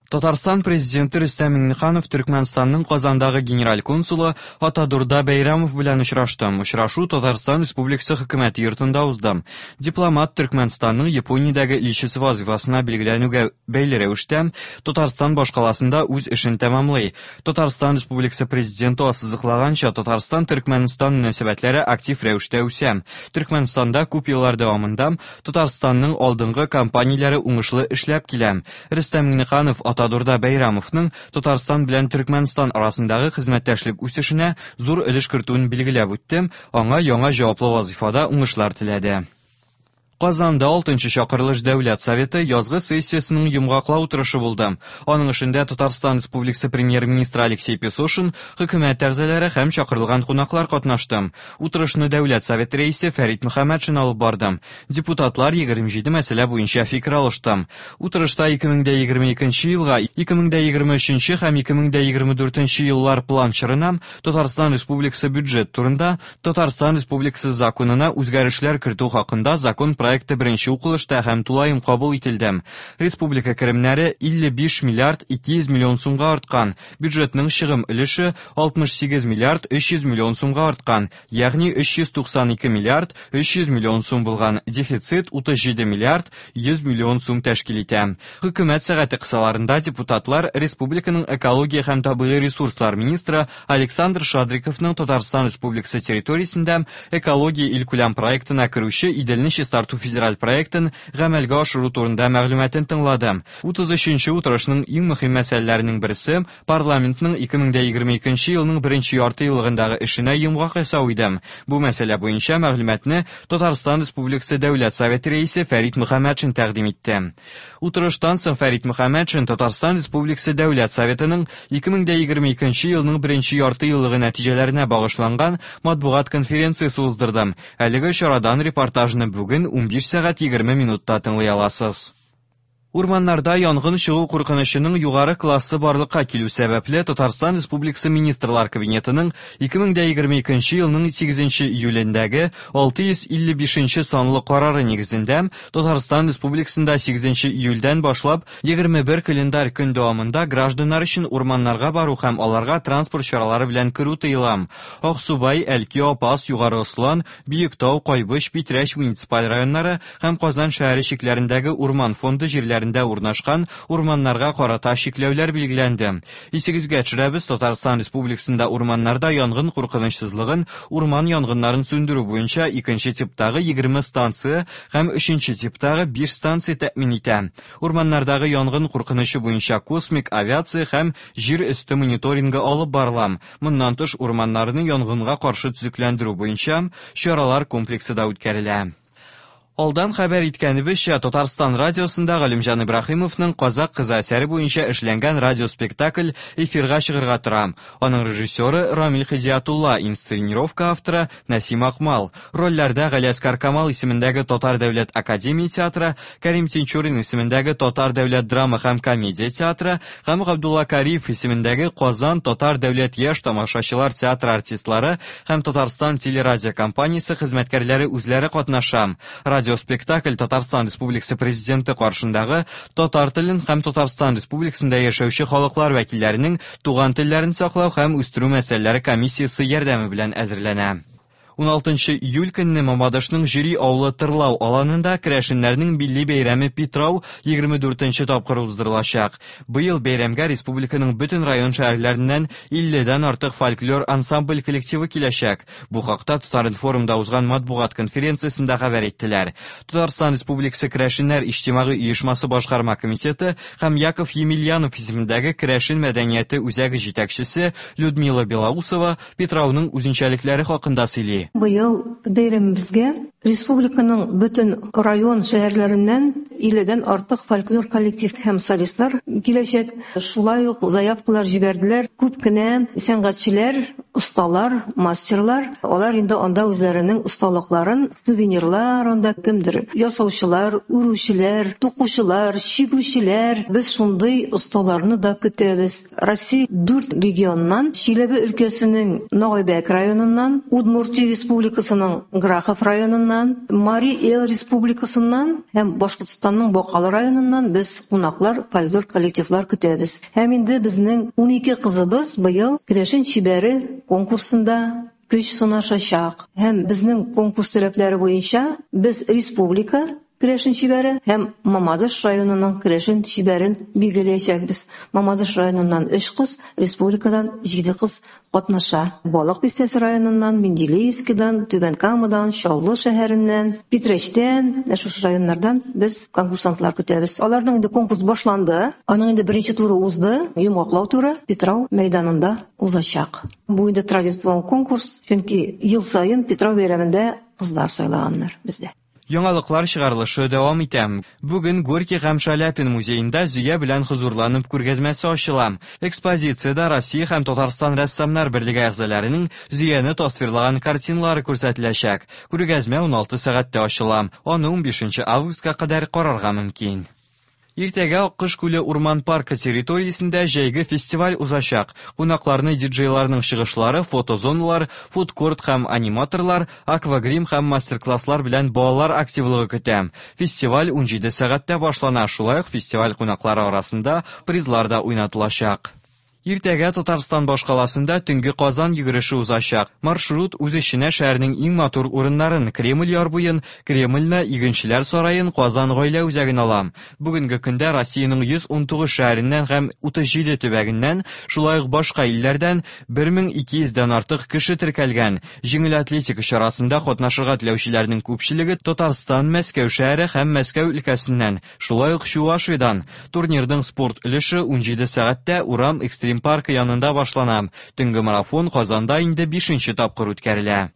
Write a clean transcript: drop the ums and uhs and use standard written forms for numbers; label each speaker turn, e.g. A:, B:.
A: Татарстан Президенты Рөстәм Миңнеханов Төркмәнстанның Казандагы генераль консулы Атадурда Бәйрәмов белән очрашты. Очрашу Татарстан Республикасы Хөкүмәте йортында узды. Дипломат Төркмәнстанның Япониядәге илчесе вазифасына билгеләнүгә бәйле рәвештә Татарстан башкаласында үз эшен тәмамлый. Татарстан Республикасы Президенты ассызыклаганча, Татарстан-Төркмәнстан мөнәсәбәтләре актив рәвештә үсә. Төркмәнстанда күп еллар дәвамында Татарстанның алдынгы компанияләре уңышлы эшләп килә. Рөстәм Миңнеханов Атадурда Бәйрамовның Татарстан белән Төркмәнстан арасындагы хезмәттәшлек үсешенә зур өлеш кертүен билгеләп үтте, аңа яңа җаваплы вазыйфада уңышлар теләде. Казанда 6 чакырылыш Дәүләт Советы язгы сессиясенең йомгаклау утырышы булды. Аның эшендә Татарстан Республикасы премьер-министры Алексей Песошин, хөкүмәт әгъзалары һәм чакырылган кунаклар катнашты. Утырышны Дәүләт Советы рәисе Фәрит Мөхәммәтшин алып барды. Депутатлар 27 мәсьәлә буенча фикер алышты. Утырышта 2022 елга, 2023 һәм 2024 еллар план чорына Татарстан Республикасы бюджет турында Татарстан Республикасы законына үзгәрешләр кертү хакында закон проекты беренче укылышта һәм тулаем кабул ителде. Республика керемнәре 55 миллиард 200 миллион сумга арткан, бюджетның чыгым өлеше 68 миллиард 300 миллион сумга арткан, ягъни 392 миллиард 300 миллион сум булган дефицит 37 миллиард 100 миллион сум тәшкил итә. Хөкүмәт сәгате кысаларында депутатлар республиканың экология һәм табигый ресурслар министры Александр Шадриковның Татарстан Республикасы территориясендә экология илкүләм проектына керүче Иделне чистарту федераль проектын гамәлгә ашыру турында мәгълүматын тыңлады. 33 утырышның иң мөһим мәсьәләләренең берсе парламентның 2022 елның беренче ярты еллыгындагы эшенә йомгак ясау иде. Бу мәсьәлә буенча мәгълүматны Татарстан Республикасы Дәүләт Советы рәисе Фәрит Мөхәммәтшин тәкъдим итте. Утырыштан соң Фәрит Мөхәммәтшин Татарстан Республикасы Дәүләт Советының 2022 елның беренче ярты еллыгы нәтиҗәләренә багышланган матбугат конференциясе уздырды. Әлеге чарадан репортажны бүген 15 сәгать 20 минутта тыңлый аласыз. Урманнарда янгын чыгу куркынычының югары классы барлыкка килү сәбәпле Татарстан Республикасы Министрлар Кабинетының 2022 елның 8 июлендәге 655 санлы карары нигезендә Татарстан Республикасында 8 июльдән башлап 21 календарь көн дәвамында гражданнар өчен урманнарга бару һәм аларга транспорт чаралары белән керү тыела. Аксубай, Әлки, Апас, Югары Ослан, Биектау, Кайбыч, Питрәч муниципаль районнары һәм Казан шәһәре чикләрендәге урман фонды җирләрендә урнашкан урманнарга карата чикләүләр билгеләнде. Исегезгә төшерәбез, Татарстан Республикасында урманнарда янгын куркынычсызлыгын урман янгыннарын сүндерү буенча икенче типтагы 20 станция һәм өченче типтагы 5 станция тәэмин итә. Урманнардагы янгын куркынычы буенча космик авиация һәм җир өсте мониторингы алып барыла. Моннан тыш урманнарны янгынга каршы төзекләндерү буенча чаралар комплексы да үткәрелә. Алдан хәбәр иткәнебезчә, Татарстан радиосында Галимҗан Ибраһимовның Казак кызы әсәре буенча эшләнгән радиоспектакль эфирга чыгарга тора. Аның режиссеры Рамил Хидиятулла, инсценировка авторы Нәсим Акмал. Рольләрдә Галиәсгар Камал исемендәге Татар дәүләт академия театры, Кәрим Тинчурин исемендәге Татар дәүләт драма һәм комедия театры һәм Габдулла Кариев исемендәге Казан Татар дәүләт яшь тамашачылар театры артистлары һәм Татарстан телерадиокомпаниясе хезмәткәрләре үзләре катнаша. Радиоспектакль Татарстан Республикасы Президенты каршындагы татар телен һәм Татарстан Республикасында яшәүче халыклар вәкилләренең туган телләрен саклау һәм үстерү мәсьәләләре комиссиясе ярдәме белән әзерләнә. 16 июль көнне Мамадышның Җөри авылы Тырлау аланында керәшеннәрнең милли бәйрәме Питрау 24 тапкыр уздырылачак. Быел бәйрәмгә республиканың бөтен район шәһәрләреннән 50-дән артык фольклор ансамбль коллективы киләчәк. Бу хакта Татар-информда узган матбугат конференциясендә хәбәр иттеләр. Татарстан Республикасы Керәшеннәр иҗтимагый оешмасы башкарма комитеты һәм Яков Емельянов исемендәге Керәшен мәдәнияте үзәге җитәкчесе Людмила Белоусова Питрауның үзенчәлекләре хакында сөйли.
B: Быел бәйрәмебезгә республиканың бөтен район шәһәрләреннән 50-дән артык фольклор коллектив һәм солистлар киләчәк. Шулай ук заявкалар җибәрделәр. Күп кенә сәнгатьчеләр, осталар, мастерлар, алар инде анда үзләренең осталыкларын, сувенирлар анда кемдер ясаучылар, үрүчеләр, тукучылар, чигүчеләр. Без шундый осталарны да көтәбез. Россия дүрт регионнан, Чиләбе өлкәсенең Ногайбәк районыннан, Удмуртия Республикасының Грахов районыннан, районыннан, Мари Эл Республикасыннан һәм Башкортстанның Бакалы районыннан без кунаклар, фольклор коллективлар көтәбез. Һәм инде безнең 12 кызыбыз быел Керәшен чибәре конкурсында көч сынашачак. Һәм безнең конкурс таләпләре буенча без республика Керәшен чибәре һәм Мамадыш районының Керәшен чибәрен билгеләячәкбез. Мамадыш районыннан 3 кыз, республикадан 7 кыз катнаша. Балык Бистәсе районыннан, Менделеевскидан, Түбән Камадан, Чаллы шәһәреннән, Питрәчтән, менә шушы районнардан без конкурсантлар көтәбез. Аларның инде конкурс башланды. Аның инде беренче туры узды, йомгаклау туры Питрау мәйданында узачак. Бу инде традицион конкурс, чөнки ел саен Питрау бәйрәмендә кызлар сайлаганнар бездә.
A: Яңалыклар чыгарылышы дәвам итә. Бүген Горький һәм Шаляпин музеенда Зөя белән хозурланып күргәзмәсе ачыла. Экспозициядә Россия һәм Татарстан рәссамнар берлеге әгъзаларының Зөяне тасвирлаган картиналары күрсәтеләчәк. Күргәзмә 16 сәгатьтә ачыла. Аны 15 августка кадәр карарга мөмкин. Иртәгә Аккош күле урман паркы территориясендә җәйге фестиваль узачак. Кунакларны диджейларның чыгышлары, фотозоналар, фудкорт һәм аниматорлар, аквагрим һәм мастер-класслар белән балалар активлыгы көтә. Фестиваль 17 сәгатьтә башлана. Шулай ук фестиваль кунаклары арасында призлар да уйнатылачак. Иртәгә Татарстан башкаласында төнге Казан йөгереше узачак. Маршрут үз эченә шәһәрнең иң матур урыннарын, Кремль яр буен, Кремльне, Игенчеләр сараен, Казан гаилә үзәген ала. Бүгенге көндә Россиянең 119 шәһәреннән һәм 37 төбәгеннән, шулай ук башка илләрдән 1200 дән артык кеше теркәлгән. Җиңел атлетика чарасында катнашырга теләүчеләрнең күпчелеге Татарстан, Мәскәү шәһәре һәм Мәскәү өлкәсеннән, шулай ук Чувашиядән. Турнирның спорт өлеше 17 сәгатьтә Урам экстрим паркы янында башлана. Төнге марафон Казанда инде 5 тапкыр үткәрелә.